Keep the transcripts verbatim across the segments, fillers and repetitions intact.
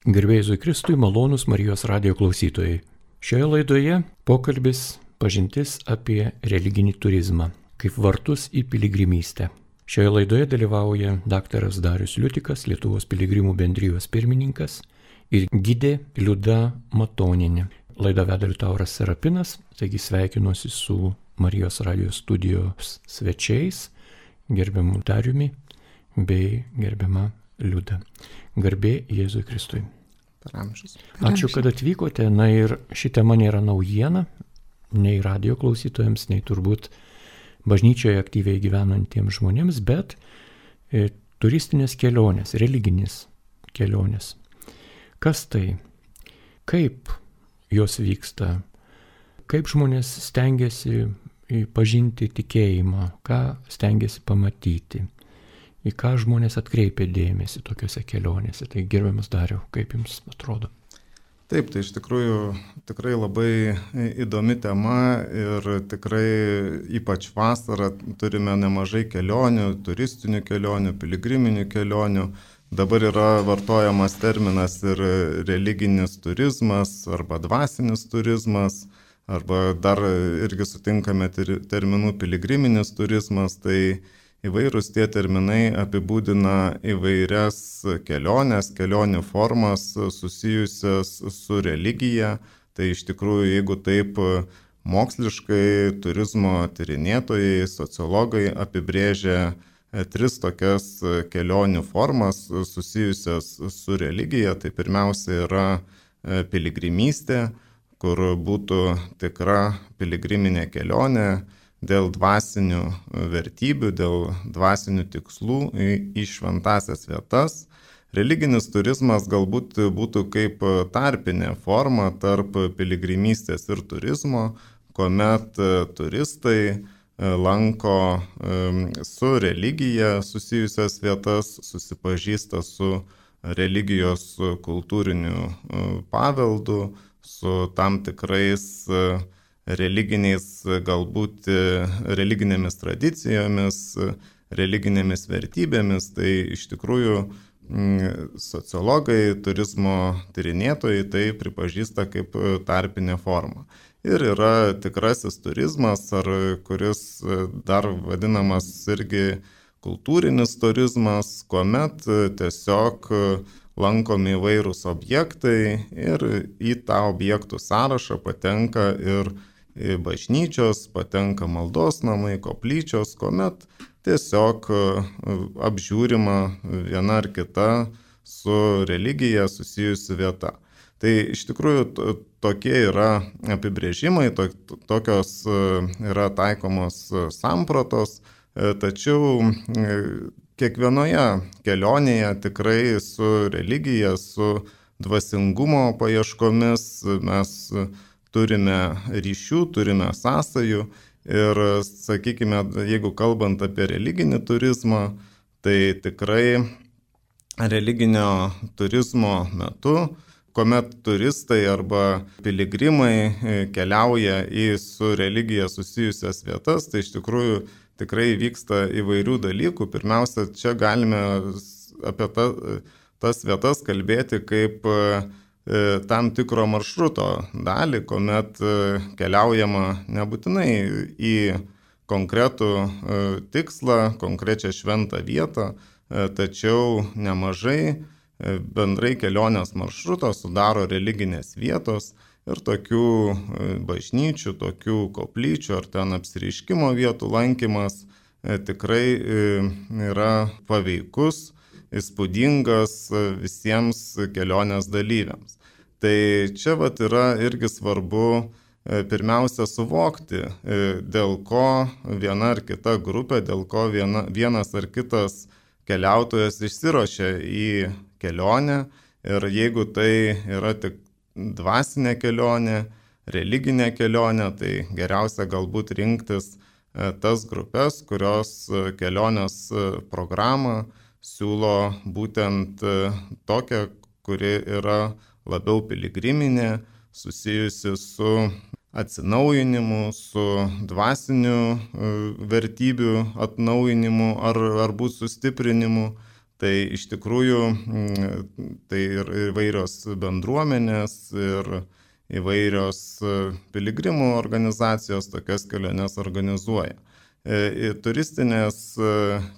Garbė Jėzui Kristui, malonūs Marijos radijo klausytojai. Šioje laidoje pokalbis pažintis apie religinį turizmą, kaip vartus į piligrimystę. Šioje laidoje dalyvauja daktaras Darius Liutikas, Lietuvos piligrimų bendrijos pirmininkas ir gidė Liuda Matonienė. Laidą veda Liutauras Serapinas, taigi sveikinuosi su Marijos radijo studijos svečiais, gerbiamu Dariumi bei gerbiama Liuda. Garbė Jėzui Kristui. Per amžius. Ačiū, kad atvykote. Na ir ši tema nėra naujiena, nei radio klausytojams, nei turbūt bažnyčioje aktyviai gyvenantiems žmonėms, bet e, turistinės kelionės, religinės kelionės. Kas tai? Kaip jos vyksta? Kaip žmonės stengiasi pažinti tikėjimą? Ką stengiasi pamatyti? Į ką žmonės atkreipia dėmesį tokiuose kelionėse. Tai gerbiamas Dariau, kaip jums atrodo? Taip, tai iš tikrųjų tikrai labai įdomi tema ir tikrai ypač vasarą turime nemažai kelionių, turistinių kelionių, piligriminių kelionių. Dabar yra vartojamas terminas ir religinis turizmas arba dvasinis turizmas, arba dar irgi sutinkame terminų piligriminis turizmas. Tai įvairūs tie terminai apibūdina įvairias keliones, kelionių formas susijusias su religija. Tai iš tikrųjų, jeigu taip moksliškai turizmo tyrinėtojai, sociologai apibrėžia tris tokias kelionių formas susijusias su religija, tai pirmiausia yra piligrimystė, kur būtų tikra piligriminė kelionė dėl dvasinių vertybių, dėl dvasinių tikslų į šventasias vietas. Religinis turizmas galbūt būtų kaip tarpinė forma tarp piligrimystės ir turizmo, kuomet turistai lanko su religija susijusias vietas, susipažįsta su religijos kultūriniu paveldu, su tam tikrais religiniais, galbūt religinėmis tradicijomis, religinėmis vertybėmis. Tai iš tikrųjų sociologai, turizmo tyrinėtojai tai pripažįsta kaip tarpinę formą. Ir yra tikrasis turizmas, ar kuris dar vadinamas irgi kultūrinis turizmas, kuomet tiesiog lankomi įvairūs objektai ir į tą objektų sąrašą patenka ir bažnyčios, patenka maldos namai, koplyčios, kuomet tiesiog apžiūrima viena ar kita su religija susijusi vieta. Tai iš tikrųjų tokie yra apibrėžimai, to, tokios yra taikomos sampratos, tačiau kiekvienoje kelionėje tikrai su religija, su dvasingumo paieškomis mes turime ryšių, turime sąsajų ir, sakykime, jeigu kalbant apie religinį turizmą, tai tikrai religinio turizmo metu, kuomet turistai arba piligrimai keliauja į su religija susijusias vietas, tai iš tikrųjų tikrai vyksta įvairių dalykų. Pirmiausia, čia galime apie ta, tas vietas kalbėti kaip tam tikro maršruto dalį, kuomet keliaujama nebūtinai į konkretų tikslą, konkrečią šventą vietą, tačiau nemažai bendrai kelionės maršruto sudaro religinės vietos ir tokių bažnyčių, tokių koplyčių ar ten apsireiškimo vietų lankymas tikrai yra paveikus, įspūdingas visiems kelionės dalyviams. Tai čia vat yra irgi svarbu pirmiausia suvokti, dėl ko viena ar kita grupė, dėl ko viena, vienas ar kitas keliautojas išsiruošia į kelionę. Ir jeigu tai yra tik dvasinė kelionė, religinė kelionė, tai geriausia galbūt rinktis tas grupės, kurios kelionės programą siūlo būtent tokią, kuri yra labiau piligriminė, susijusi su atsinaujinimu, su dvasiniu vertybių atnaujinimu ar, ar būt sustiprinimu. Tai iš tikrųjų tai ir įvairios bendruomenės ir įvairios piligrimų organizacijos tokias keliones organizuoja. Turistinės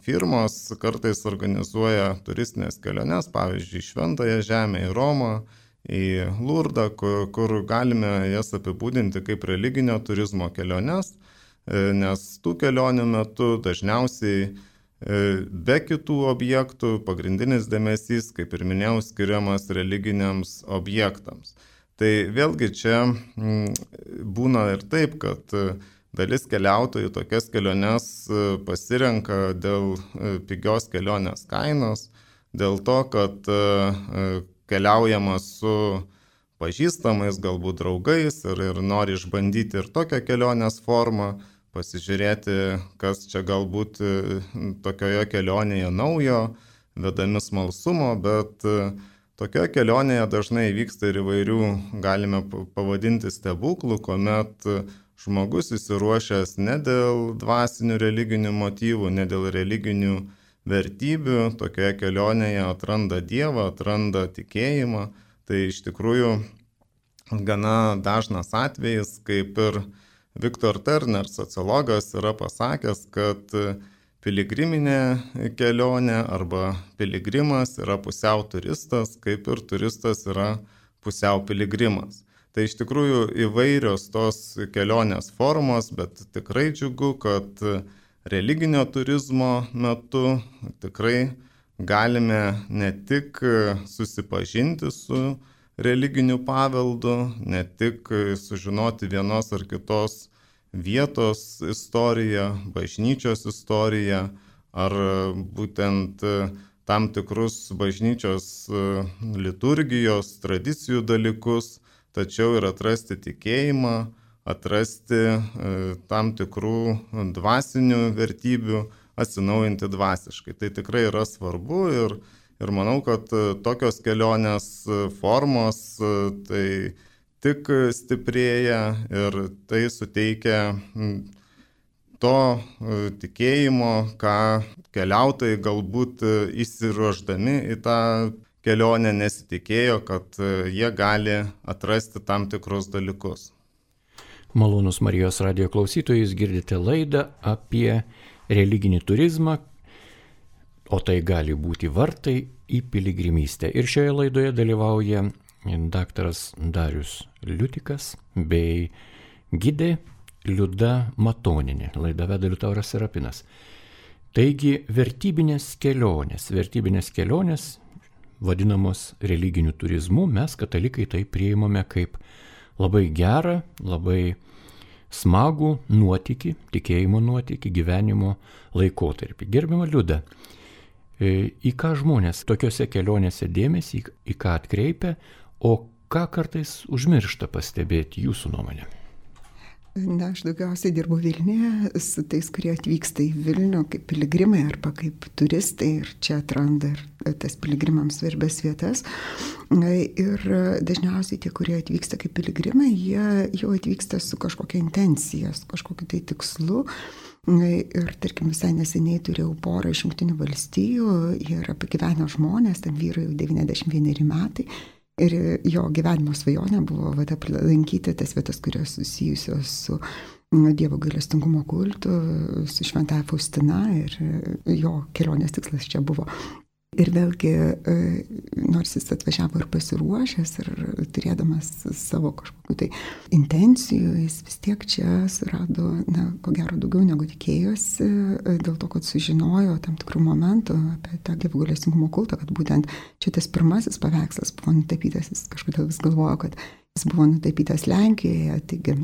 firmos kartais organizuoja turistinės keliones, pavyzdžiui, į Šventąją Žemę, į Romą, į Lurdą, kur, kur galime jas apibūdinti kaip religinio turizmo keliones, nes tų kelionių metu dažniausiai be kitų objektų pagrindinis dėmesys, kaip ir minėjau, skiriamas religiniams objektams. Tai vėlgi čia būna ir taip, kad dalis keliautojų tokias keliones pasirenka dėl pigios kelionės kainos, dėl to, kad keliaujama su pažįstamais, galbūt draugais ir, ir nori išbandyti ir tokią kelionės formą, pasižiūrėti, kas čia galbūt tokioje kelionėje naujo, vedami smalsumo, bet tokioje kelionėje dažnai vyksta ir įvairių, galime pavadinti stebuklų, kuomet žmogus įsiruošęs ne dėl dvasinių religinių motyvų, ne dėl religinių vertybių, tokioje kelionėje atranda Dievą, atranda tikėjimą. Tai iš tikrųjų gana dažnas atvejis, kaip ir Viktor Turner, sociologas, yra pasakęs, kad piligriminė kelionė arba piligrimas yra pusiau turistas, kaip ir turistas yra pusiau piligrimas. Tai iš tikrųjų įvairios tos kelionės formos, bet tikrai džiugu, kad religinio turizmo metu tikrai galime ne tik susipažinti su religiniu paveldu, ne tik sužinoti vienos ar kitos vietos istoriją, bažnyčios istoriją, ar būtent tam tikrus bažnyčios liturgijos, tradicijų dalykus, tačiau ir atrasti tikėjimą, atrasti tam tikrų dvasinių vertybių, atsinaujinti dvasiškai. Tai tikrai yra svarbu ir, ir manau, kad tokios kelionės formos tai tik stiprėja ir tai suteikia to tikėjimo, ką keliautojai galbūt įsiruošdami į tą kelionę nesitikėjo, kad jie gali atrasti tam tikrus dalykus. Malonus Marijos radijo klausytojai, jūs girdite laidą apie religinį turizmą, o tai gali būti vartai į piligrimystę. Ir šioje laidoje dalyvauja daktaras Darius Liutikas bei gidė Liuda Matoninė. Laidą veda Liutauras Serapinas. Taigi vertybinės kelionės, vertybinės kelionės vadinamos religiniu turizmu, mes katalikai tai priimame kaip labai gerą, labai smagų nuotykį, tikėjimo nuotykį, gyvenimo laikotarpį. Gerbiama Liuda, į ką žmonės tokiose kelionėse dėmesį, į ką atkreipia, o ką kartais užmiršta pastebėti jūsų nuomonė? Na, aš daugiausiai dirbu Vilniuje su tais, kurie atvyksta į Vilnių kaip piligrimai arba kaip turistai ir čia atranda ir tas piligrimams svarbias vietas. Ir dažniausiai tie, kurie atvyksta kaip piligrimai, jie jau atvyksta su kažkokia intencija, su kažkokiu tai tikslu. Ir tarkim visai neseniai turėjau porą iš Jungtinių valstijų, jie yra pagyvenę žmonės, tam vyrai jau devyniasdešimt vieneri metai. Ir jo gyvenimo svajonė buvo vat, aplankyti tas vietas, kurios susijusios su Dievo gailestingumo kultu, su Šventąja Faustina, ir jo kelionės tikslas čia buvo. Ir vėlgi, nors jis atvažiavo ir pasiruošęs, ir turėdamas savo kažkokiu tai intencijų, jis vis tiek čia surado, na, ko gero daugiau negu tikėjosi, dėl to, kad sužinojo tam tikrų momentų apie tą Dievo gailestingumo kultą, kad būtent čia tas pirmasis paveikslas buvo nutapytas, jis kažkodėl vis galvojo, kad jis buvo nutapytas Lenkijoje, taigi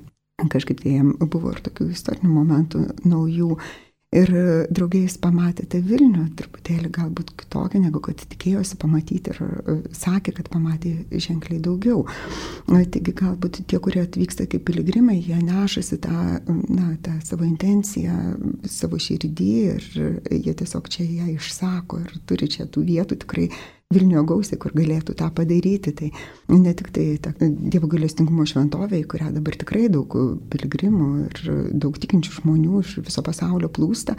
kažkaip tai jam buvo ir tokių istorinių momentų naujų. Ir draugiai jis pamatė tą Vilnių truputėlį galbūt kitokią, negu kad tikėjosi pamatyti, ir sakė, kad pamatė ženkliai daugiau. Taigi galbūt tie, kurie atvyksta kaip piligrimai, jie nešasi tą, na, tą savo intenciją, savo širdį, ir jie tiesiog čia ją išsako ir turi čia tų vietų tikrai Vilniuje gausiai, kur galėtų tą padaryti. Tai ne tik tai ta Dievo gailestingumo šventovė, į kurią dabar tikrai daug piligrimų ir daug tikinčių žmonių iš viso pasaulio plūsta,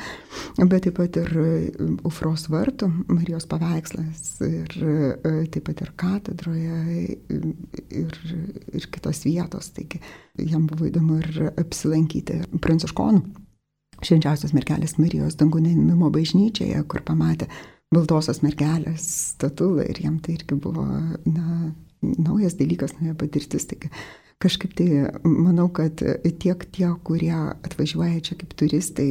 bet taip pat ir Aufros vartų Marijos paveikslas ir taip pat ir katedroje ir, ir kitos vietos. Taigi jam buvo įdomu ir apsilankyti Pranciškonų Švenčiausios mergelės Marijos dangų neėmimo bažnyčioje, kur pamatė baltosios mergelės statulą ir jam tai irgi buvo na, naujas dalykas, nauja patirtis. Taigi kažkaip tai manau, kad tiek tie, kurie atvažiuoja čia kaip turistai,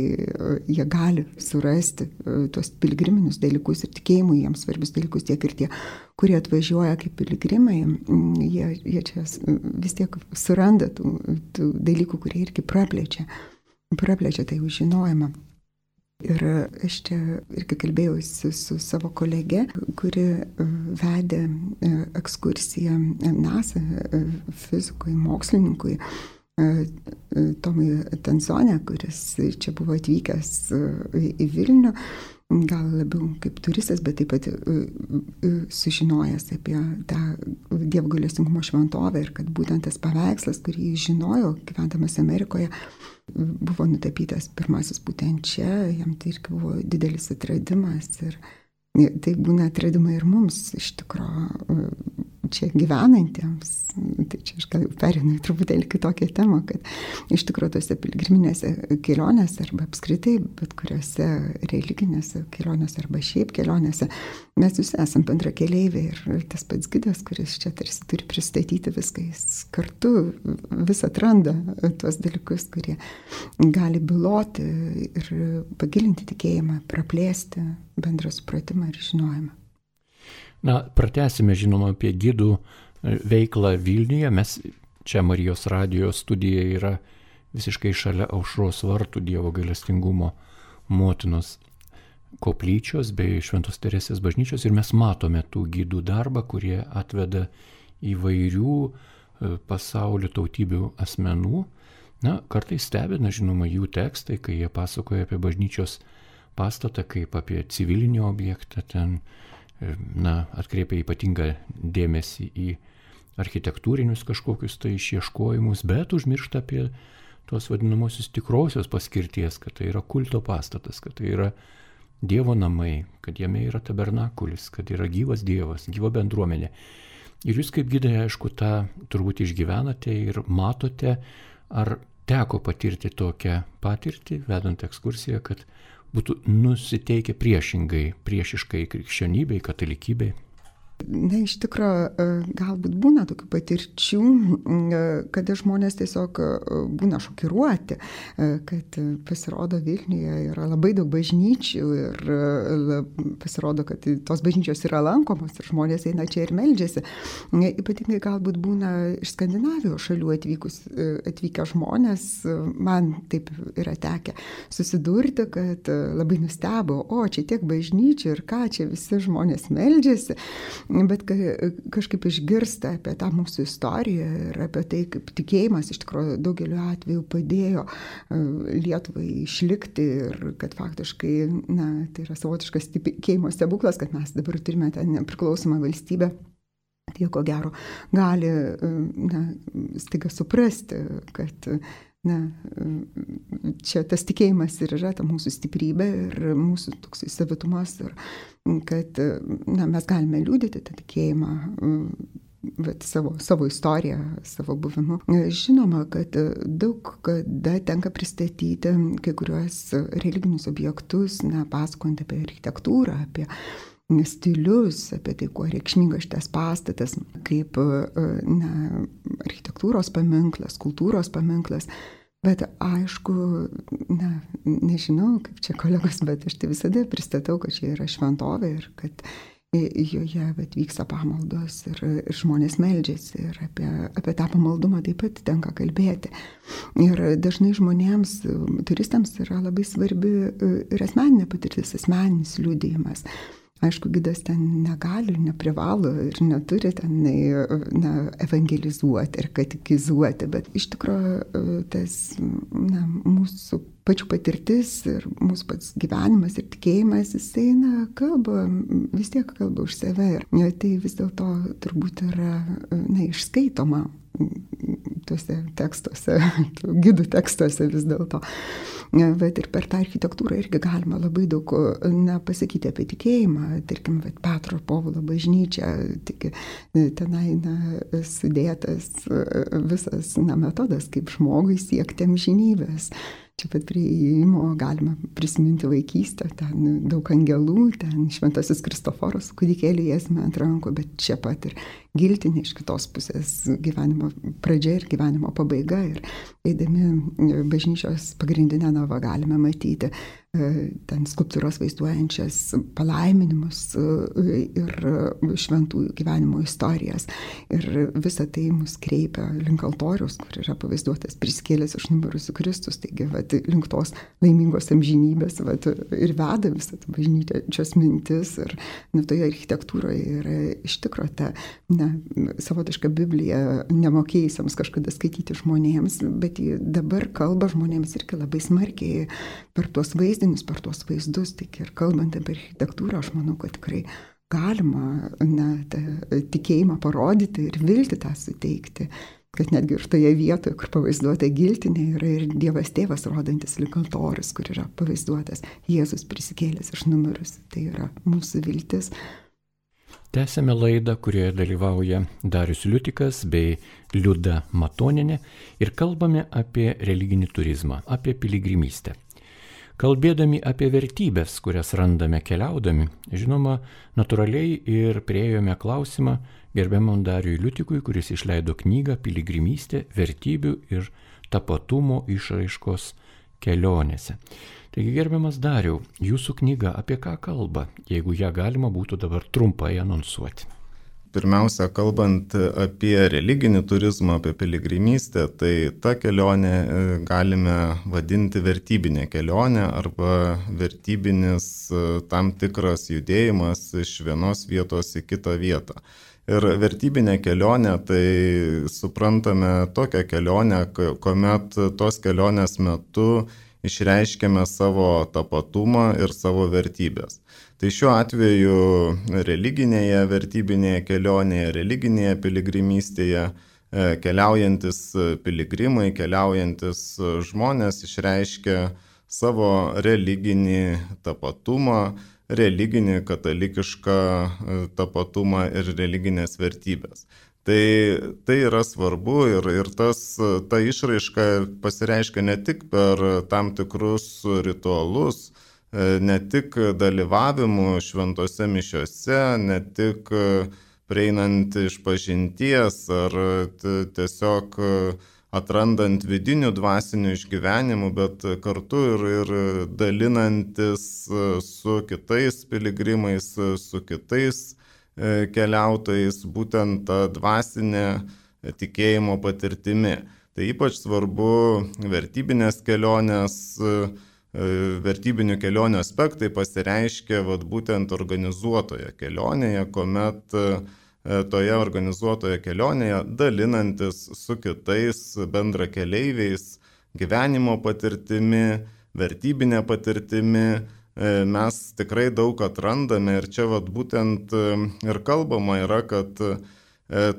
jie gali surasti tuos piligriminius dalykus ir tikėjimui jiems svarbius dalykus, tiek ir tie, kurie atvažiuoja kaip piligrimai, jie, jie čia vis tiek suranda tų, tų dalykų, kurie irgi praplečia, praplečia tai žinojimą. Ir aš čia irgi kalbėjausi su savo kolege, kuri vedė ekskursiją NASA fizikui, mokslininkui Tomui Tansonė, kuris čia buvo atvykęs į Vilnių, gal labiau kaip turistas, bet taip pat sužinojęs apie tą Dievo gailestingumo šventovę ir kad būtent tas paveikslas, kurį jis žinojo, gyvendamas Amerikoje, buvo nutapytas pirmasis būtent čia, jam tai irgi buvo didelis atradimas ir tai būna atradimai ir mums iš tikrųjų čia gyvenantiems. Tai čia aš gal perinu į truputėlį kitokią temą, kad iš tikrųjų tose piligriminėse kelionėse arba apskritai bet kuriuose religinėse kelionėse arba šiaip kelionėse mes visi esam bendrakeleiviai ir tas pats gidas, kuris čia tarsi turi pristatyti viską, jis kartu vis atranda tuos dalykus, kurie gali byloti ir pagilinti tikėjimą, praplėsti bendrą supratimą ir žinojimą. Na, pratęsime, žinoma, apie gidų veiklą Vilniuje. Mes čia Marijos radijo studija yra visiškai šalia Aušros vartų Dievo gailestingumo motinos koplyčios bei Šventos Teresės bažnyčios ir mes matome tų gidų darbą, kurie atveda įvairių pasaulio tautybių asmenų. Na, kartais stebina, žinoma, jų tekstai, kai jie pasakoja apie bažnyčios pastatą kaip apie civilinį objektą, ten na, atkreipia ypatingą dėmesį į architektūrinius kažkokius tai išieškojimus, bet užmiršta apie tuos vadinamosius tikrosios paskirties, kad tai yra kulto pastatas, kad tai yra Dievo namai, kad jame yra tabernakulis, kad yra gyvas Dievas, gyva bendruomenė. Ir jūs kaip gidai, aišku, tą turbūt išgyvenate ir matote, ar teko patirti tokią patirtį, vedant ekskursiją, kad būtų nusiteikę priešingai, priešiškai krikščionybei, katalikybei? Na, iš tikrųjų, galbūt būna tokių patirčių, kada žmonės tiesiog būna šokiruoti, kad pasirodo Vilniuje yra labai daug bažnyčių ir pasirodo, kad tos bažnyčios yra lankomos ir žmonės eina čia ir meldžiasi. Ypatingai galbūt būna iš Skandinavijos šalių atvykus, atvykę žmonės, man taip yra tekę susidurti, kad labai nustebo, o čia tiek bažnyčių ir ką, čia visi žmonės meldžiasi. Bet kažkaip išgirsta apie tą mūsų istoriją ir apie tai, kaip tikėjimas iš tikrųjų daugeliu atveju padėjo Lietuvai išlikti ir kad faktiškai, na, tai yra savotiškas tikėjimo stebuklas, kad mes dabar turime tą nepriklausomą valstybę. Tai ko gero gali, na, staiga suprasti, kad na, čia tas tikėjimas ir yra ta mūsų stiprybė ir mūsų toks savitumas ir kad na, mes galime liudyti tą tikėjimą bet, savo, savo istoriją, savo buvimu. Žinoma, kad daug kada tenka pristatyti kai kuriuos religinius objektus, na, pasakojant apie architektūrą, apie stilius, apie tai, kuo reikšmingas šitas pastatas, kaip na, architektūros paminklas, kultūros paminklas. Bet aišku, na, nežinau, kaip čia kolegos, bet aš tai visada pristatau, kad čia yra šventovė ir kad joje bet, vyksta pamaldos ir, ir žmonės meldžiasi ir apie, apie tą pamaldumą taip pat tenka kalbėti. Ir dažnai žmonėms, turistams yra labai svarbi ir asmeninė patirtis, asmeninis liudijimas. Aišku, gidas ten negali, neprivalo ir neturi ten na, evangelizuoti ir katekizuoti, bet iš tikrųjų tas na, mūsų pačių patirtis ir mūsų pats gyvenimas ir tikėjimas, jisai, na, kalba, vis tiek kalba už save. Ir tai vis dėlto turbūt yra, na, išskaitoma tuose tekstuose, gidų tekstuose vis dėlto. Bet ir per tą architektūrą irgi galima labai daug, na, pasakyti apie tikėjimą. Tarkim, Petro ir Povilo bažnyčia, tik tenai, na, sudėtas visas, na, metodas, kaip žmogui siekti amžinybės. Čia pat prie įėjimo galima prisiminti vaikystę, ten daug angelų, ten šventasis Kristoforas kūdikėlį jėzme ant rankų, bet čia pat ir giltinė iš kitos pusės gyvenimo pradžia ir gyvenimo pabaiga. Ir eidami bažnyčios pagrindinę navą galime matyti ten skulptūros vaizduojančias palaiminimus ir šventųjų gyvenimo istorijas. Ir visa tai mus kreipia link altoriaus, kur yra pavaizduotas prisikėlęs iš numirusių Kristus. Taigi, vat, link tos laimingos amžinybės vat, ir veda visą tą bažnyčios mintis. Ir na, toje architektūroje yra iš tikro ta, na, savotiška Biblija nemokėjusiems kažkada skaityti žmonėms, bet ji dabar kalba žmonėms irgi labai smarkiai per tuos vaizdinius, per tuos vaizdus. Tik ir kalbant apie architektūrą, aš manau, kad tikrai galima, na, tikėjimą parodyti ir viltį tą suteikti. Kad netgi ir toje vietoje, kur pavaizduota giltinė, yra ir Dievas tėvas rodantis lyg altorius, kur yra pavaizduotas Jėzus prisikėlęs iš numirusių. Tai yra mūsų viltis. Tęsėme laidą, kurioje dalyvauja Darius Liutikas bei Liuda Matonienė ir kalbame apie religinį turizmą, apie piligrimystę. Kalbėdami apie vertybės, kurias randame keliaudami, žinoma, natūraliai ir priėjome klausimą gerbiamam Dariui Liutikui, kuris išleido knygą Piligrimystė, vertybių ir tapatumo išraiškos kelionėse. Taigi, gerbiamas Dariau, jūsų knyga apie ką kalba, jeigu ją galima būtų dabar trumpai anonsuoti? Pirmiausia, kalbant apie religinį turizmą, apie piligrimystę, tai tą kelionę galime vadinti vertybinė kelionė arba vertybinis tam tikras judėjimas iš vienos vietos į kitą vietą. Ir vertybinė kelionė, tai suprantame tokią kelionę, kuomet tos kelionės metu išreiškiame savo tapatumą ir savo vertybės. Tai šiuo atveju religinėje vertybinėje kelionėje, religinėje piligrimystėje keliaujantis piligrimai, keliaujantis žmonės išreiškia savo religinį tapatumą, religinį katalikišką tapatumą ir religinės vertybės. Tai, tai yra svarbu ir, ir tas, ta išraiška pasireiškia ne tik per tam tikrus ritualus, ne tik dalyvavimu šventose mišiose, ne tik prieinant iš pažinties ar tiesiog atrandant vidinių dvasinių išgyvenimų, bet kartu ir, ir dalinantis su kitais piligrimais, su kitais keliautojais, būtent tą dvasinę tikėjimo patirtimi. Tai ypač svarbu vertybinės kelionės, vertybinių kelionių aspektai pasireiškia vat, būtent organizuotoje kelionėje, kuomet toje organizuotoje kelionėje dalinantis su kitais bendrakeleiviais gyvenimo patirtimi, vertybinė patirtimi, mes tikrai daug atrandame ir čia vat, būtent ir kalbama yra, kad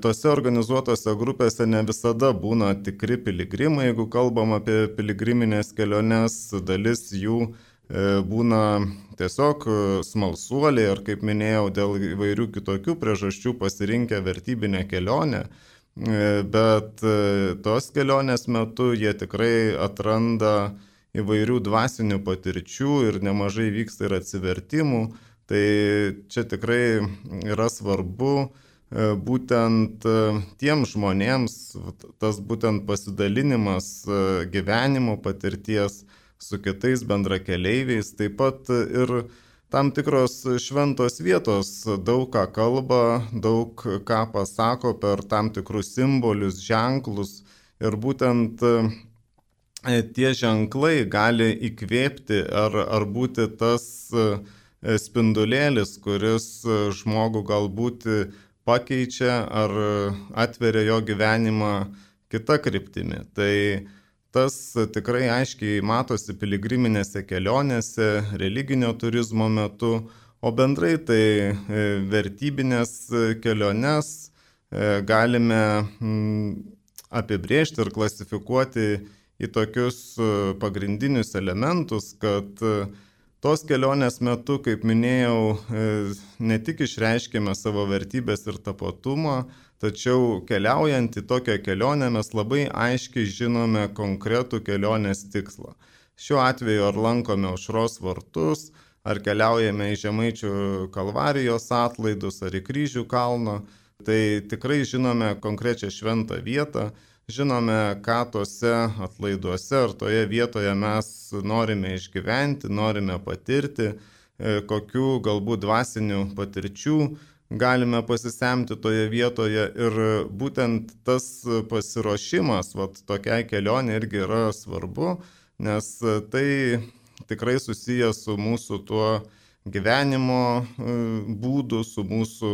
tose organizuotose grupėse ne visada būna tikri piligrimai, jeigu kalbam apie piligriminės keliones, dalis jų būna tiesiog smalsuoliai ar, kaip minėjau, dėl įvairių kitokių priežasčių pasirinkę vertybinę kelionę, bet tos kelionės metu jie tikrai atranda įvairių dvasinių patirčių ir nemažai vyksta ir atsivertimų. Tai čia tikrai yra svarbu būtent tiems žmonėms, tas būtent pasidalinimas gyvenimo patirties su kitais bendrakeleiviais, taip pat ir tam tikros šventos vietos daug ką kalba, daug ką pasako per tam tikrus simbolius, ženklus ir būtent tie ženklai gali įkvėpti ar, ar būti tas spindulėlis, kuris žmogų galbūt pakeičia ar atveria jo gyvenimą kitą kryptimį. Tai tas tikrai aiškiai matosi piligriminėse kelionėse, religinio turizmo metu, o bendrai tai vertybinės keliones galime apibrėžti ir klasifikuoti į tokius pagrindinius elementus, kad tos kelionės metu, kaip minėjau, ne tik išreiškime savo vertybės ir tapatumą, tačiau keliaujant į tokią kelionę mes labai aiškiai žinome konkretų kelionės tikslą. Šiuo atveju ar lankome Aušros vartus, ar keliaujame į Žemaičių Kalvarijos atlaidus, ar į Kryžių kalną, tai tikrai žinome konkrečią šventą vietą, žinome, ką tose atlaiduose ar toje vietoje mes norime išgyventi, norime patirti, kokių galbūt dvasinių patirčių galime pasisemti toje vietoje ir būtent tas pasiruošimas vat, tokiai kelionė irgi yra svarbu, nes tai tikrai susijęs su mūsų tuo gyvenimo būdu, su mūsų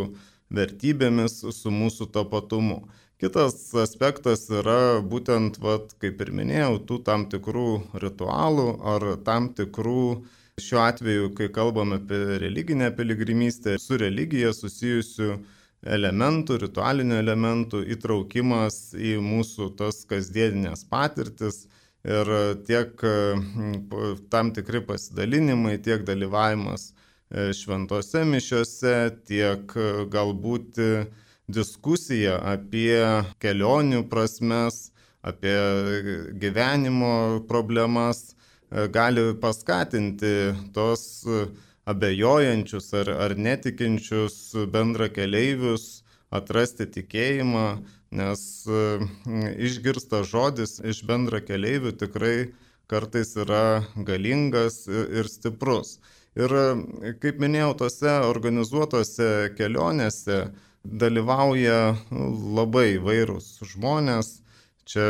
vertybėmis, su mūsų tapatumu. Kitas aspektas yra būtent, vat, kaip ir minėjau, tų tam tikrų ritualų ar tam tikrų, šiuo atveju, kai kalbame apie religinę piligrimystę, su religija susijusių elementų, ritualinių elementų įtraukimas į mūsų tas kasdieninės patirtis ir tiek tam tikri pasidalinimai, tiek dalyvavimas šventose mišiose, tiek galbūt diskusija apie kelionių prasmes, apie gyvenimo problemas gali paskatinti tos abejojančius ar, ar netikinčius bendrakeleivius atrasti tikėjimą, nes išgirstas žodis iš bendrakeleivių tikrai kartais yra galingas ir stiprus. Ir kaip minėjau, tose organizuotose kelionėse dalyvauja labai įvairūs žmonės. Čia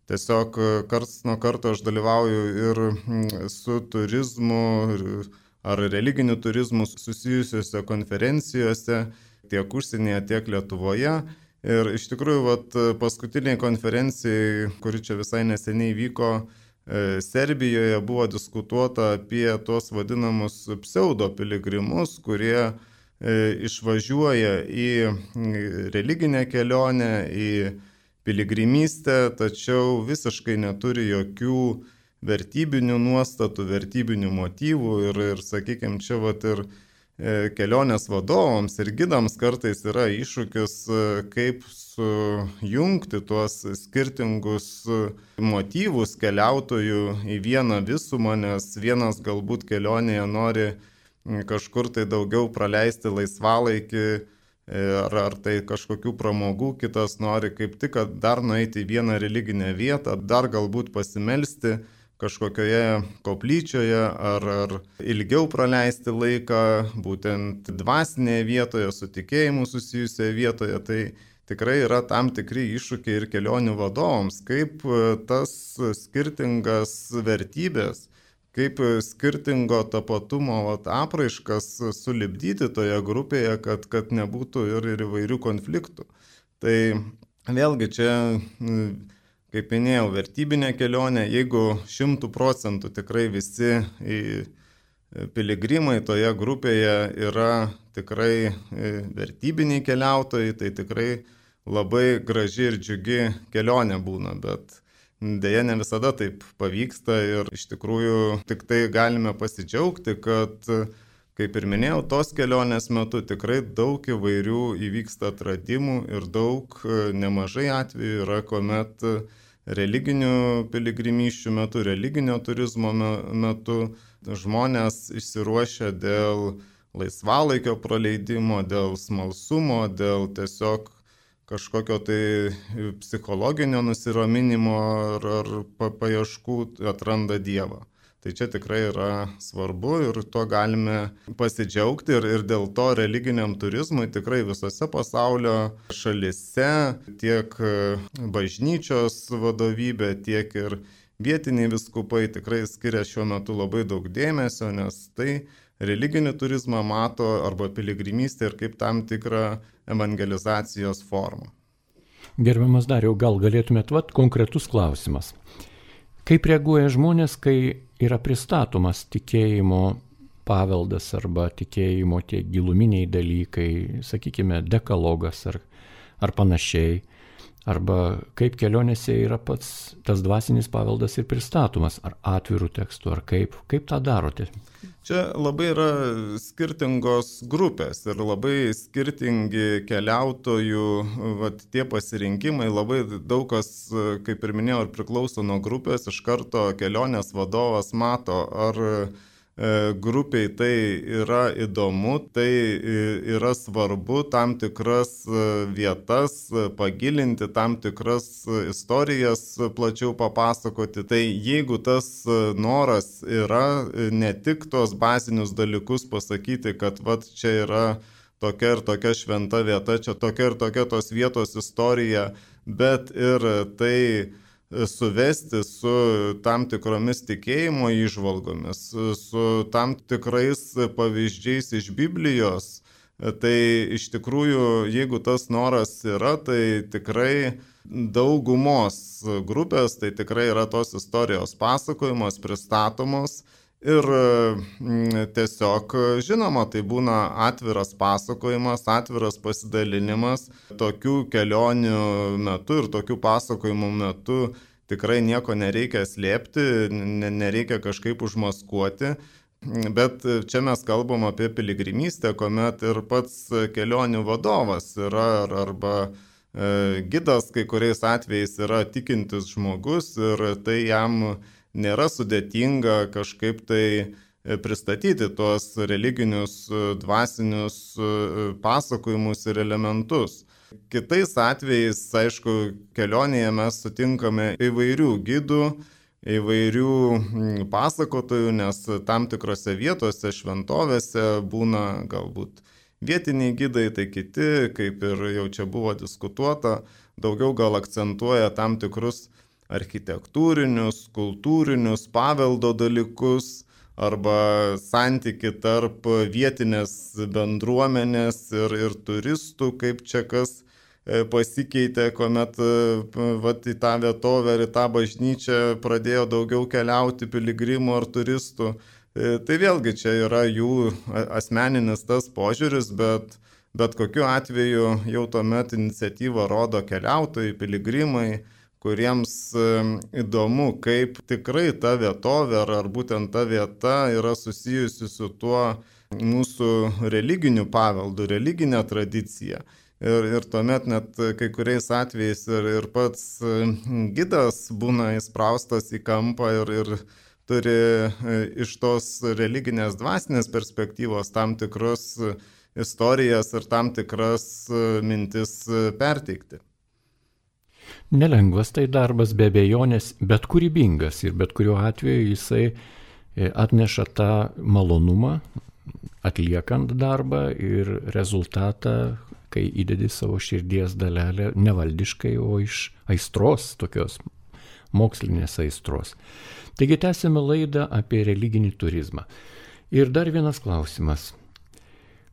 tiesiog karts nuo karto aš dalyvauju ir su turizmu ar religiniu turizmu susijusiuose konferencijose, tiek užsienyje, tiek Lietuvoje. Ir iš tikrųjų, vat, paskutiniai konferencijai, kuri čia visai neseniai vyko Serbijoje, buvo diskutuota apie tuos vadinamus pseudo piligrimus, kurie išvažiuoja į religinę kelionę, į piligrimystę, tačiau visiškai neturi jokių vertybinių nuostatų, vertybinių motyvų ir, ir sakykime, čia vat ir kelionės vadovams ir gidams kartais yra iššūkis, kaip sujungti tuos skirtingus motyvus keliautojų į vieną visumą, nes vienas galbūt kelionėje nori kažkur tai daugiau praleisti laisvalaikį ar, ar tai kažkokių pramogų, kitas nori kaip tik dar nueiti į vieną religinę vietą, dar galbūt pasimelsti kažkokioje koplyčioje ar, ar ilgiau praleisti laiką būtent dvasinėje vietoje, su tikėjimu susijusioje vietoje. Tai tikrai yra tam tikri iššūkiai ir kelionių vadovams, kaip tas skirtingas vertybės, kaip skirtingo tapatumo vat, apraiškas sulipdyti toje grupėje, kad, kad nebūtų ir, ir įvairių konfliktų. Tai vėlgi čia, kaip minėjau, vertybinė kelionė, jeigu šimtų procentų tikrai visi piligrimai toje grupėje yra tikrai vertybiniai keliautojai, tai tikrai labai graži ir džiugi kelionė būna, bet deja, ne visada taip pavyksta ir iš tikrųjų tik tai galime pasidžiaugti, kad, kaip ir minėjau, tos kelionės metu tikrai daug įvairių įvyksta atradimų ir daug, nemažai atvejų yra, kuomet religinių piligrimysčių metu, religinio turizmo metu žmonės išsiruošia dėl laisvalaikio praleidimo, dėl smalsumo, dėl tiesiog kažkokio tai psichologinio nusiraminimo ar, ar paieškų atranda Dievą. Tai čia tikrai yra svarbu ir to galime pasidžiaugti ir, ir dėl to religiniam turizmui tikrai visose pasaulio šalise tiek bažnyčios vadovybė, tiek ir vietiniai viskupai tikrai skiria šiuo metu labai daug dėmesio, nes tai religinį turizmą mato arba piligrimystę ir kaip tam tikrą evangelizacijos formą. Gerbiamas Dariau, gal galėtumėt, vat konkretus klausimas. Kaip reaguoja žmonės, kai yra pristatomas tikėjimo paveldas arba tikėjimo tie giluminiai dalykai, sakykime, dekalogas ar, ar panašiai, arba kaip kelionėse yra pats tas dvasinis paveldas ir pristatomas, ar atvirų tekstų, ar kaip, kaip tą darote? Čia labai yra skirtingos grupės ir labai skirtingi keliautojų vat, tie pasirinkimai, labai daug kas, kaip ir minėjau, ir priklauso nuo grupės, iš karto kelionės vadovas mato, ar grupiai tai yra įdomu, tai yra svarbu tam tikras vietas pagilinti, tam tikras istorijas plačiau papasakoti. Tai jeigu tas noras yra ne tik tos bazinius dalykus pasakyti, kad vat čia yra tokia ir tokia šventa vieta, čia tokia ir tokia tos vietos istorija, bet ir tai suvesti su tam tikromis tikėjimo įžvalgomis, su tam tikrais pavyzdžiais iš Biblijos, tai iš tikrųjų, jeigu tas noras yra, tai tikrai daugumos grupės, tai tikrai yra tos istorijos pasakojimos, pristatomos. Ir tiesiog, žinoma, tai būna atviras pasakojimas, atviras pasidalinimas. Tokių kelionių metu ir tokių pasakojimų metu tikrai nieko nereikia slėpti, nereikia kažkaip užmaskuoti. Bet čia mes kalbam apie piligrimystę, kuomet ir pats kelionių vadovas yra arba gidas, kai kuriais atvejais yra tikintis žmogus ir tai jam nėra sudėtinga kažkaip tai pristatyti tuos religinius, dvasinius pasakojimus ir elementus. Kitais atvejais, aišku, kelionėje mes sutinkame įvairių gidų, įvairių pasakotojų, nes tam tikrose vietose, šventovėse būna galbūt vietiniai gidai, tai kiti, kaip ir jau čia buvo diskutuota, daugiau gal akcentuoja tam tikrus architektūrinius, kultūrinius, paveldo dalykus arba santyki tarp vietinės bendruomenės ir, ir turistų, kaip čia kas pasikeitė, kuomet vat, į tą vietovę ir į tą bažnyčią pradėjo daugiau keliauti piligrimų ar turistų. Tai vėlgi čia yra jų asmeninis tas požiūris, bet, bet kokiu atveju jau tuomet iniciatyvą rodo keliautojai, piligrimai, kuriems įdomu, kaip tikrai ta vietovė ar, ar būtent ta vieta yra susijusi su tuo mūsų religiniu paveldu, religinė tradicija. Ir, ir tuomet net kai kuriais atvejais ir, ir pats gidas būna įspraustas į kampą ir, ir turi iš tos religinės dvasinės perspektyvos tam tikras istorijas ir tam tikras mintis perteikti. Nelengvas tai darbas, be abejonės, bet kūrybingas ir bet kuriuo atveju jisai atneša tą malonumą atliekant darbą ir rezultatą, kai įdedi savo širdies dalelę nevaldiškai, o iš aistros, tokios mokslinės aistros. Taigi tęsime laidą apie religinį turizmą. Ir dar vienas klausimas.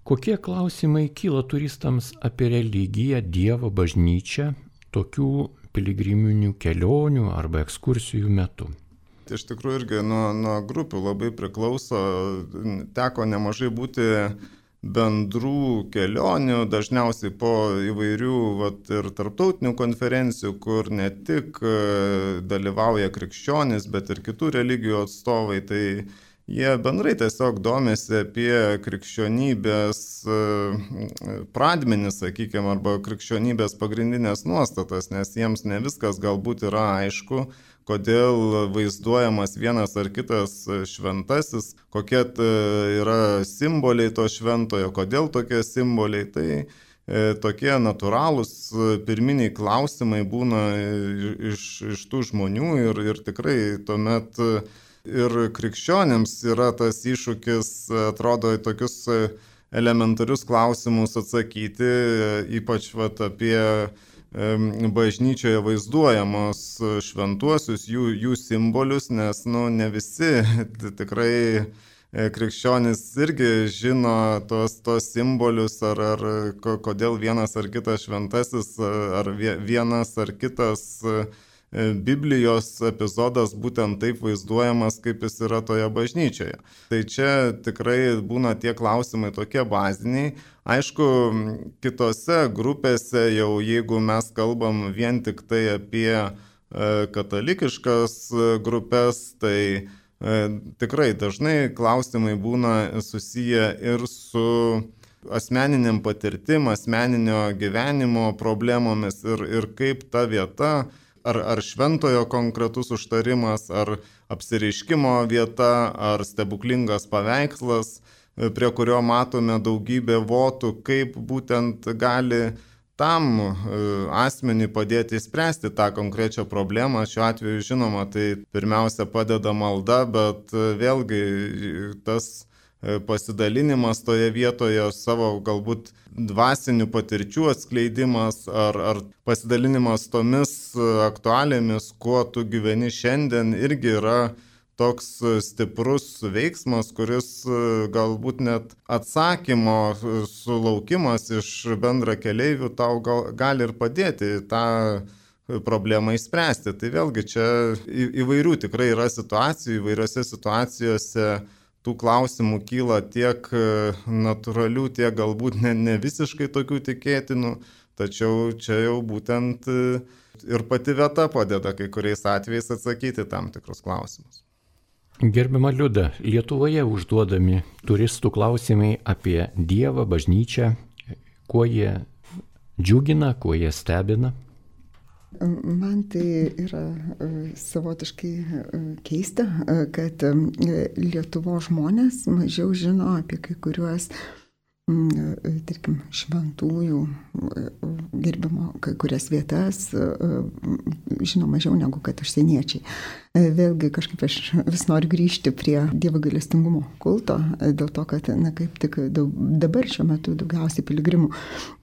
Kokie klausimai kyla turistams apie religiją, Dievą, bažnyčią tokių piligriminių kelionių arba ekskursijų metu? Iš tikrųjų irgi nuo, nuo grupių labai priklauso, teko nemažai būti bendrų kelionių, dažniausiai po įvairių vat, ir tarptautinių konferencijų, kur ne tik dalyvauja krikščionys, bet ir kitų religijų atstovai, tai jie bendrai tiesiog domisi apie krikščionybės pradmenis, sakykime, arba krikščionybės pagrindinės nuostatas, nes jiems ne viskas galbūt yra aišku, kodėl vaizduojamas vienas ar kitas šventasis, kokie yra simboliai to šventojo, kodėl tokie simboliai. Tai e, tokie natūralūs pirminiai klausimai būna iš, iš tų žmonių ir, ir tikrai tuomet ir krikščionėms yra tas iššūkis, atrodo, į tokius elementarius klausimus atsakyti, ypač vat, apie bažnyčioje vaizduojamos šventuosius, jų, jų simbolius, nes nu, ne visi tikrai krikščionys irgi žino tos, tos simbolius, ar, ar kodėl vienas ar kitas šventasis, ar vienas ar kitas Biblijos epizodas būtent taip vaizduojamas, kaip jis yra toje bažnyčioje. Tai čia tikrai būna tie klausimai tokie baziniai. Aišku, kitose grupėse jau jeigu mes kalbam vien tik tai apie katalikiškas grupės, tai tikrai dažnai klausimai būna susiję ir su asmeniniam patirtim, asmeninio gyvenimo problemomis ir, ir kaip ta vieta, ar, ar šventojo konkretus užtarimas, ar apsireiškimo vieta, ar stebuklingas paveikslas, prie kurio matome daugybę votų, kaip būtent gali tam asmeniui padėti spręsti tą konkrečią problemą. Šiuo atveju, žinoma, tai pirmiausia padeda malda, bet vėlgi tas pasidalinimas toje vietoje, savo galbūt dvasinių patirčių atskleidimas ar, ar pasidalinimas tomis aktualėmis, kuo tu gyveni šiandien, irgi yra toks stiprus veiksmas, kuris galbūt net atsakymo sulaukimas iš bendrakeleivių tau gal, gali ir padėti tą problemą išspręsti. Tai vėlgi čia įvairių tikrai yra situacijų, įvairiose situacijose tų klausimų kyla tiek natūralių, tiek galbūt ne, ne visiškai tokių tikėtinų, tačiau čia jau būtent ir pati vieta padeda kai kuriais atvejais atsakyti tam tikrus klausimus. Gerbiama Liuda, Lietuvoje užduodami turistų klausimai apie Dievą, bažnyčią, kuo jie džiugina, kuo jie stebina? Man tai yra savotiškai keista, kad Lietuvos žmonės mažiau žino apie kai kuriuos, tarkim, šventųjų gerbimo kai kurias vietas, žino mažiau negu kad užsieniečiai. Vėlgi kažkaip aš vis noriu grįžti prie Dievo gailestingumo kulto, dėl to, kad na, kaip tik daug, dabar šiuo metu daugiausiai piligrimų,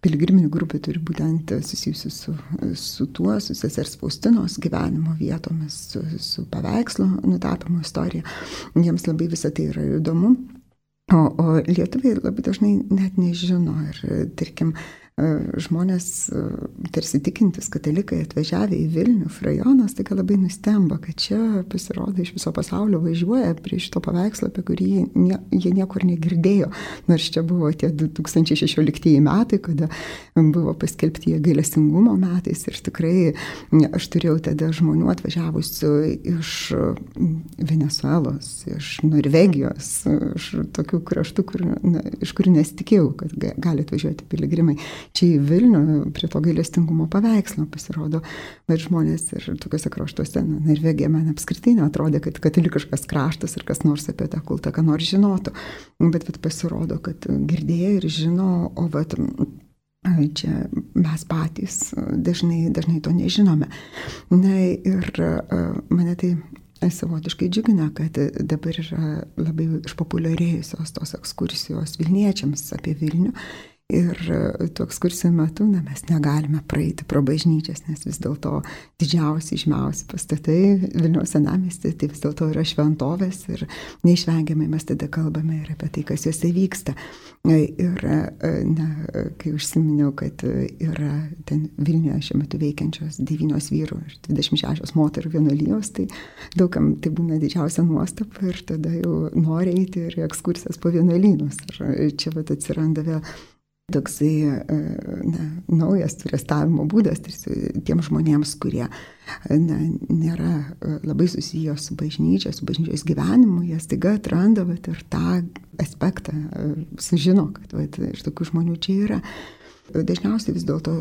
piligriminių grupių turi būtent susijusių su, su tuo, su sesers Faustinos gyvenimo vietomis, su, su paveikslo nutapimo istorija. Jiems labai visą tai yra įdomu. O, o lietuviai labai dažnai net nežino ir, tarkim, žmonės tarsi tikintis katalikai atvažiavę į Vilnių, rajonas, tai labai nustemba, kad čia pasirodo iš viso pasaulio važiuoja prie šito paveikslo, apie kurį nie, jie niekur negirdėjo. Nors čia buvo tie du tūkstančiai šešioliktieji metai, kada buvo paskelbti gailestingumo metais ir tikrai aš turėjau tada žmonių atvažiavusių iš Venesuelos, iš Norvegijos, iš tokių kraštų, kur, na, iš kurių nesitikėjau, kad gali atvažiuoti piligrimai. Čia į Vilnių prie to gailestingumo paveikslo pasirodo, bet žmonės ir tokiuose kraštuose, na, Norvegija man apskritai neatrodė, kad katalikiškas kraštas ir kas nors apie tą kultą, ką nors žinotų. Bet, bet pasirodo, kad girdėjo ir žino, o vat, čia mes patys dažnai, dažnai to nežinome. Na ir mane tai savotiškai džiugina, kad dabar yra labai išpopuliarėjusios tos ekskursijos Vilniečiams apie Vilnių. Ir tų ekskursijų metu na, mes negalime praeiti pro bažnyčias, nes vis dėlto didžiausi, žymiausi pastatai Vilniaus senamiesty, tai vis dėlto yra šventovės ir neišvengiamai mes tada kalbame ir apie tai, kas juose vyksta. Ir, na, kai užsiminiau, kad yra ten Vilniuje šiuo metu veikiančios devynios vyrų ir dvidešimt šešios moterų vienuolijos, tai daugam tai būna didžiausia nuostaba ir tada jau nori eiti ir ekskursijas po vienuolynus. Ir čia vat atsiranda vėl toksai na, naujas turistavimo būdas tiem žmonėms, kurie na, nėra labai susiję su bažnyčia, su bažnyčios gyvenimu, jie staiga atranda vat, ir tą aspektą, sužino, kad vat, iš tokių žmonių čia yra. Dažniausiai vis dėlto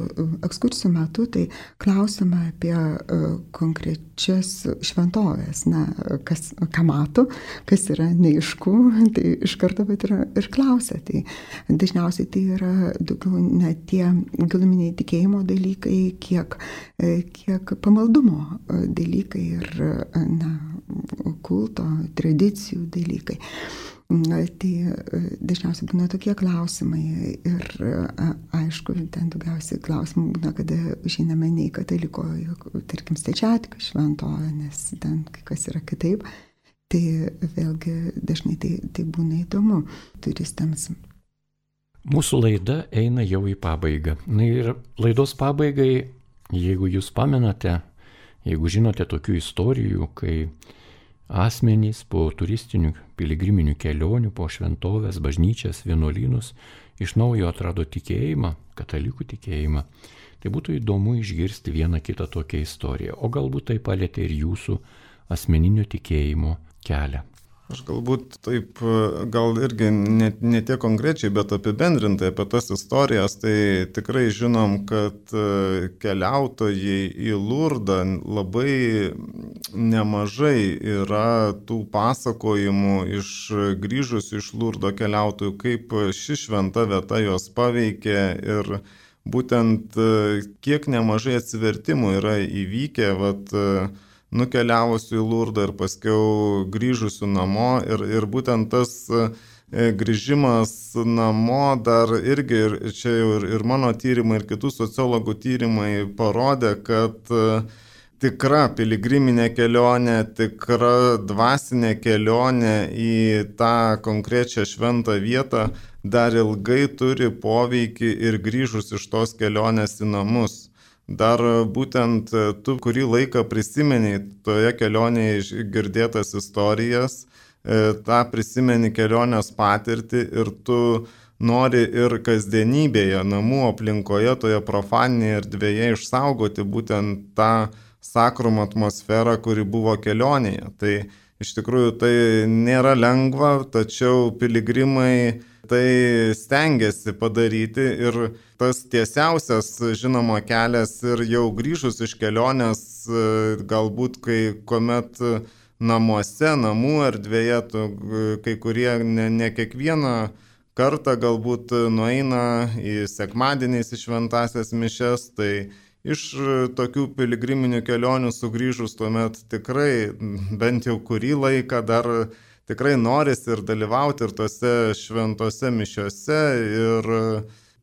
ekskursijų metu tai klausime apie konkrečias šventovės, na, kas, ką mato, kas yra neaišku, tai iš karto bet yra ir klausia. Tai dažniausiai tai yra daugiau ne tie giluminiai tikėjimo dalykai, kiek, kiek pamaldumo dalykai ir na, kulto, tradicijų dalykai. Tai dažniausiai būna tokie klausimai ir aišku, ten daugiausiai klausimų būna, kada žinome ne į kataliko, tarkim, Stačiatikių šventovę, nes ten kai kas yra kitaip, tai vėlgi dažnai tai, tai būna įdomu turistams. Mūsų laida eina jau į pabaigą. Na ir laidos pabaigai, jeigu jūs pamenate, Jeigu žinote tokių istorijų, kai asmenys po turistinių piligriminių kelionių, po šventovės, bažnyčias, vienuolynus iš naujo atrado tikėjimą, katalikų tikėjimą, tai būtų įdomu išgirsti vieną kitą tokią istoriją, o galbūt tai palėtė ir jūsų asmeninio tikėjimo kelią. Aš galbūt taip, gal irgi ne, ne tiek konkrečiai, bet apibendrintai apie tas istorijas, tai tikrai žinom, kad keliautojai į Lurdą labai nemažai yra tų pasakojimų iš grįžusių iš Lurdo keliautojų, kaip ši šventa vieta juos paveikė ir būtent kiek nemažai atsivertimų yra įvykę, vat, nukeliavusių į Lurdą ir paskiau grįžusių namo ir, ir būtent tas grįžimas namo dar irgi, ir čia jau ir, ir mano tyrimai, ir kitų sociologų tyrimai parodė, kad tikra piligriminė kelionė, tikra dvasinė kelionė į tą konkrečią šventą vietą dar ilgai turi poveikį ir grįžus iš tos kelionės į namus. Dar būtent tu kurį laiką prisimeni toje kelionėje girdėtas istorijas, tą prisimeni kelionės patirtį ir tu nori ir kasdienybėje, namų aplinkoje, toje profaninėje erdvėje išsaugoti būtent tą sakrum atmosferą, kuri buvo kelionėje. Tai iš tikrųjų tai nėra lengva, tačiau piligrimai tai stengiasi padaryti ir tas tiesiausias, žinoma, kelias ir jau grįžus iš kelionės, galbūt kai kuomet namuose, namų erdvėje, tu, kai kurie ne, ne kiekvieną kartą galbūt nueina į sekmadieniais į šventąsias mišias, tai iš tokių piligriminių kelionių sugrįžus tuomet tikrai bent jau kurį laiką dar tikrai norisi ir dalyvauti ir tose šventose mišiose ir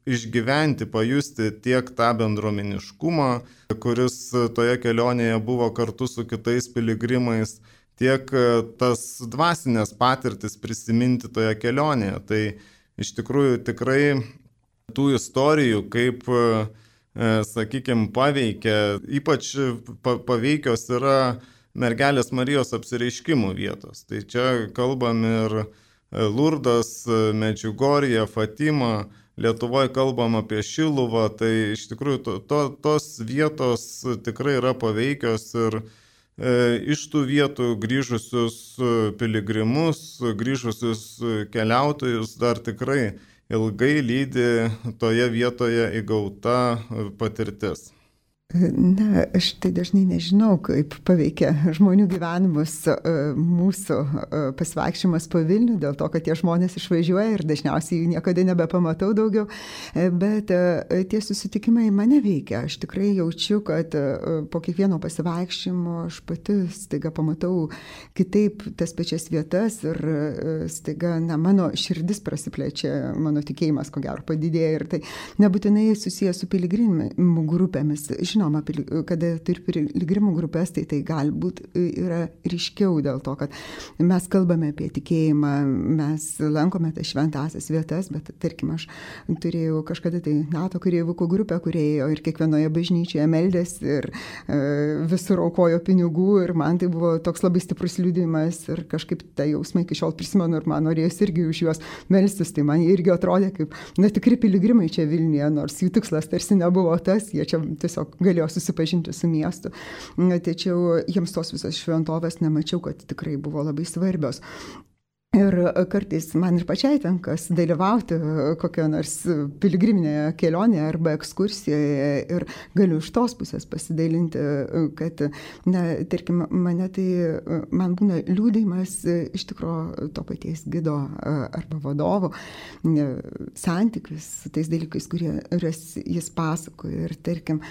išgyventi, pajusti tiek tą bendruomeniškumą, kuris toje kelionėje buvo kartu su kitais piligrimais, tiek tas dvasinės patirtis prisiminti toje kelionėje. Tai iš tikrųjų tikrai tų istorijų, kaip, sakykime, paveikia, ypač paveikios yra Mergelės Marijos apsireiškimų vietos. Tai čia kalbam ir Lurdas, Medžiugorje, Fatima, Lietuvoje kalbam apie Šiluvą, tai iš tikrųjų to, to, tos vietos tikrai yra paveikios ir e, iš tų vietų grįžusius piligrimus, grįžusius keliautojus dar tikrai ilgai lydi toje vietoje įgauta patirtis. Na, aš tai dažnai nežinau, kaip paveikia žmonių gyvenimus mūsų pasivaikščiojimas po Vilnių, dėl to, kad tie žmonės išvažiuoja ir dažniausiai jų niekada nebepamatau daugiau, bet tie susitikimai mane veikia. Aš tikrai jaučiu, kad po kiekvieno pasivaikščiojimo aš pati staiga pamatau kitaip tas pačias vietas ir staiga, na, mano širdis prasiplečia, mano tikėjimas ko gero padidėja ir tai nebūtinai susijęs su piligrimų grupėmis. Žinoma, kada turi piligrimų grupės, tai tai galbūt yra ryškiau dėl to, kad mes kalbame apie tikėjimą, mes lankome tas šventąsias vietas, bet tarkim, aš turėjau kažkada tai NATO kareivukų grupę, kurie ėjo ir kiekvienoje bažnyčioje meldėsi ir e, visur aukojo pinigų ir man tai buvo toks labai stiprus liudijimas ir kažkaip tą jausmą iki šiol prisimenu ir man norėjus irgi už juos melstis, tai man irgi atrodė kaip, na, tikri piligrimai čia Vilniuje, nors jų tikslas tarsi nebuvo tas, jie čia tiesiog galėjo susipažinti su miestu. Tačiau jiems tos visos šventovės nemačiau, kad tikrai buvo labai svarbios. Ir kartais man ir pačiai tenka dalyvauti kokio nors piligriminėje kelionėje arba ekskursijoje ir galiu iš tos pusės pasidalinti, kad, na, tarkim, mane tai, man būna liūdėjimas iš tikro to paties gido arba vadovo santykis su tais dalykais, kurie jis pasakoja. Ir, tarkim,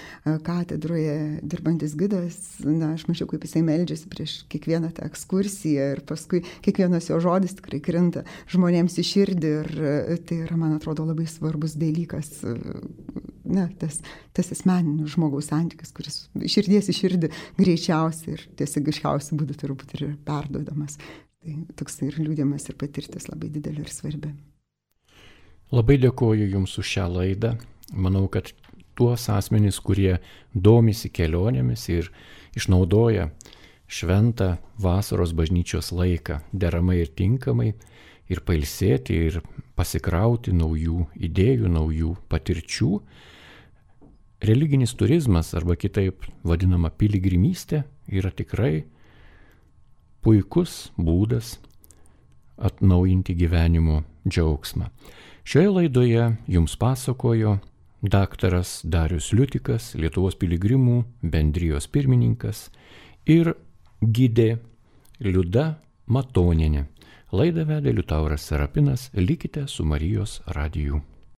katedroje dirbantis gidas, na, aš mačiau, kaip jisai meldžiasi prieš kiekvieną tą ekskursiją ir paskui kiekvienas jo žodis tikrai krinta žmonėms į širdį ir tai yra, man atrodo, labai svarbus dalykas, na, tas, tas asmeninis žmogaus santykis, kuris širdies į širdį greičiausiai ir tiesiogiškiausiai būdų turbūt ir perduodamas. Tai toks ir liūdėjimas ir patirtis labai didelė ir svarbi. Labai dėkoju Jums už šią laidą. Manau, kad tuos asmenys, kurie domisi kelionėmis ir išnaudoja šventą vasaros bažnyčios laiką deramai ir tinkamai ir pailsėti ir pasikrauti naujų idėjų, naujų patirčių. Religinis turizmas arba kitaip vadinama piligrimystė yra tikrai puikus būdas atnaujinti gyvenimo džiaugsmą. Šioje laidoje jums pasakojo daktaras Darius Liutikas, Lietuvos piligrimų bendrijos pirmininkas ir gidė Liuda Matonienė. Laidą vedė Liutauras Serapinas. Likite su Marijos radiju.